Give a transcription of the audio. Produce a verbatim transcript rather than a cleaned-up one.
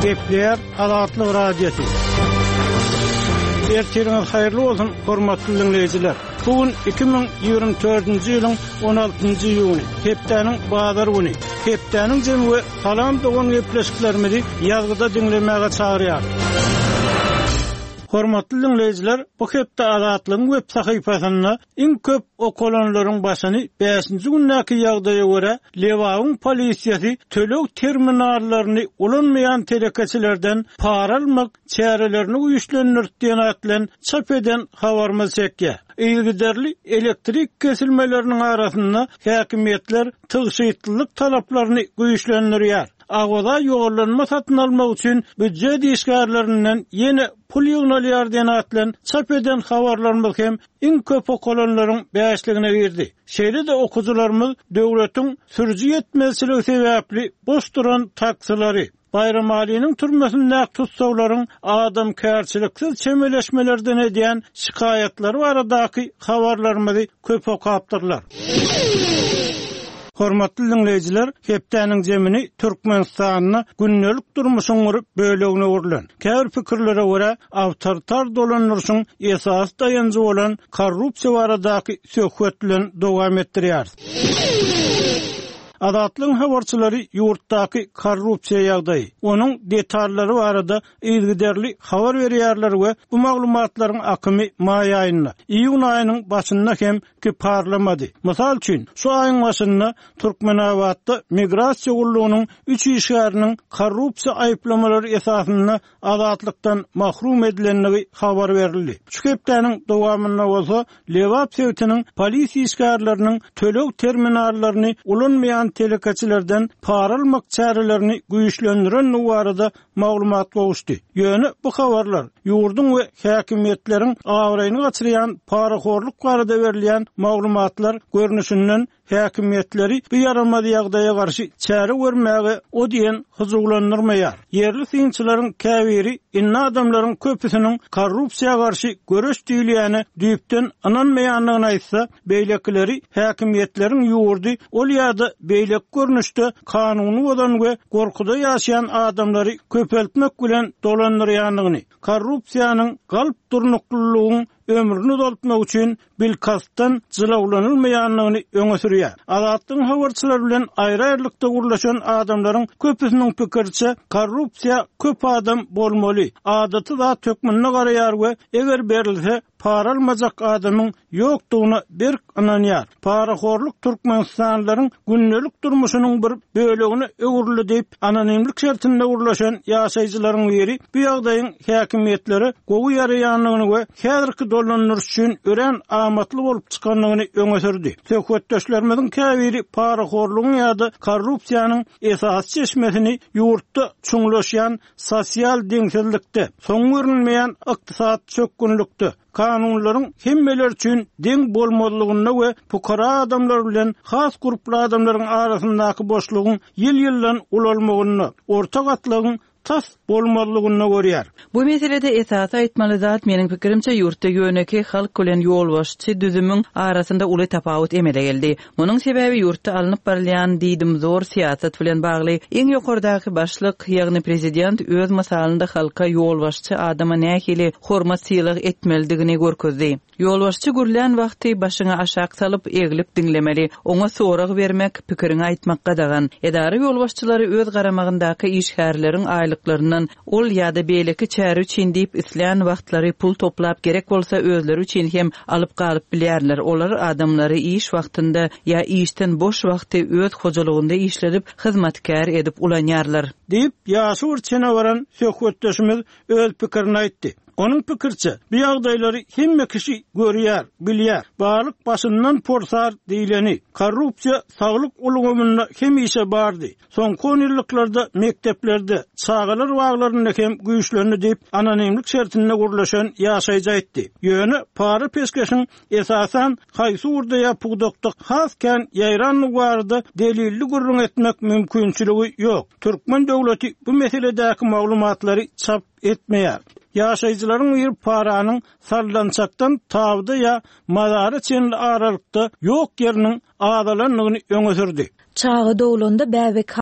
Gepleýär Azatlyk Radiosy. Ertiriňiz haýyrly bolsun, hormatly dinleýjiler. Bu gün iki müň ýigrimi dördünji ýylyň on altynjy iýuny, hepdäniň bazar güni. Hepdäniň jemi we salam dogan gepleşiklerimizi ýazgyda diňlemäge çagyrýar. Hormatly dinleýjiler, bu hepde Azatlygyň web sahypasynda iň köp okalanlaryň başyny bäşinji gündäki ýagdaýa görä Lebabyň polisiýasy töleg terminallaryny ulanmaýan telekeçilerden para almak çärelerini güýçlendirdi diýen at bilen çap eden habarymyz çekýär. Yzygiderli elektrik kesilmeleriniň arasynda häkimiýetler tygşytlylyk talaplaryny güýçlendirýär. Awaza ýollanma satyn almak üçin býujet işgärlerinden ýene pul ýygnalýar diýen at bilen çap eden habarlarymyz hem iň köp okalanlaryň bäşligine girdi. Şeýle-de okuwçylarymyz döwletiň sürüji ýetmezçiligi sebäpli boş duran taksilary, Baýramalynyň türmesindäki tutsaglaryň adamkärçiliksiz çemeleşmelerden edýän şikaýatlary baradaky habarlarymyzy köp okapdyrlar. Hormatly dinleýjiler, hepdäniň zemini Türkmenistanda gündelik durmuşyň bir bölegine öwrülen. Käbir pikirlere görä, awtoritar dolandyryşyň esasy daýanjy bolan korrupsiýa baradaky söhbet bilen dowam etdirýär. Azatlygyň habarçylary ýurtdaky korrupsiýa ýagdaýy, onuň detallary barada yzygiderli habar berýärler we bu maglumatlaryň akymy maý aýynda, iýun aýynyň başynda hem kiparlamady. Mysal üçin, şu aýyň başynda Türkmenabatda migrasiýa gullugynyň üç işgäriniň korrupsiýa aýyplamalary esasynda azatlykdan mahrum edilendigi habar berildi. Şu hepdäniň dowamynda bolsa Lebap sebitiniň polis işgärleriniň töleg terminallaryny ulanmaýan telekeçilerden para almak çärelerini güýçlendiren barada maglumat gowuşdy. Ýöne bu habarlar ýurduň we häkimiýetleriň abraýyny gaçyrýan parahorluk barada berilýän maglumatlar görnüşinden häkimiýetleri bu ýaramaz ýagdaýa garşy çäre görmäge o diýen hyjuwlandyrmaýar. Ýerli synçylaryň käbiri indi adamlaryň köpüsiniň korrupsiýa garşy göreş diýilýäne düýpden ynanmaýandygyny aýtsa, beýlekileri häkimiýetleriň ýurdy ol ýa-da beýleki görnüşde kanuny bozan we gorkuda ýaşaýan adamlary köpeltmek bilen dolandyrýandygyny, korrupsiýanyň galp durnuklylygyň ömrüni uzaltmak üçin bilkastdan jylawlanylmaýandygyny öňe sürýär. Azatlygyň habarçylary bilen aýry-aýrylykda gurlaşan adamlaryň köpüsiniň pikiriçe korrupsiýa köp adam bolmaly, adaty zat hökmünde garaýar we eger berilse para almajak adamyň ýokdugyna berk ynanýar. Parahorluk Türkmenistanlylaryň gündelik durmuşynyň bir bölegine öwrüldi diýip, anonimlik şertinde gurlaşan ýaşaýjylaryň biri bu ýagdaýyň häkimiýetlere gowy ýaraýandygyny we häzirki dolandyryş üçin örän amatly bolup çykandygyny öňe sürdi. Söhbetdeşlerimiziň käbiri parahorlugyň ýa-da korrupsiýanyň esasy çeşmesini ýurtda çuňlaşýan sosial deňsizlikde, soň görünmeýän ykdysat çökgünlikde, kanunlaryň hemmeler üçin deň bolmazlygynda we pukara adamlar bilen has gruply adamlaryň arasyndaky boşlugyň ýyl-ýyldan ulalmagynda, orta gatlagyň tas bolmazlygynda görýär. Bu meselede esasy aýtmaly zat meniň pikirimçe ýurtda ýöneki halk bilen ýolbaşçy düzümiň arasynda uly tapawut emele geldi. Munuň sebäbi ýurtda alnyp barylýan diýdim zor syýasat bilen bagly. Iň ýokardaky başlyk, ýagny prezident öz mysalynda halka ýolbaşçy adama nähili hormat sylag etmelidigini görkezdi. Ýolbaşçy gürlän wagty başyňy aşak salyp eglip diňlemeli, oňa sorag bermek, pikiriňi aýtmak gadagan. Edara ýolbaşçylary öz garamagyndaky işgärleriň aýlyklaryndan ol ýa-da beýleki çäre üçin diýip islän wagtlary pul toplap gerek bolsa özleri üçin hem alyp galyp bilýärler. Olar adamlary iş wagtynda ýa işden boş wagty öz hojalygynda işledip hyzmatkär edip ulanýarlar. Diýip, ýaşy bir çene baran söhbetdeşimiz öz pikirini aýtdy. Onuň pikirçe, bu ýagdaýlary hemme kişi görýär, bilýär. Barlyk başyndan porsar diýileni, korrupsiýa saglyk ulgamynda hemişe bardy. Soňky on ýyllyklarda mekdeplerde, çagalar baglarynda hem güýçlendi diýip, anonimlik şertinde gurlaşan ýaşaýjy aýtdy. Ýöne para peşgeşiň esasan haýsy ugurda ýa pudakda has kän ýaýranlygy barada delilli gürrüň etmek mümkinçiligi ýok. Türkmen döwleti bu meseledäki maglumatlary çap etmeýär. Ýaşaýjylaryň bir paranyň sallançakdan tawda ýa mazara çenli aralykda ýok ýeriniň azalandygyny öňe sürdi. Çaga dogulanda bäbek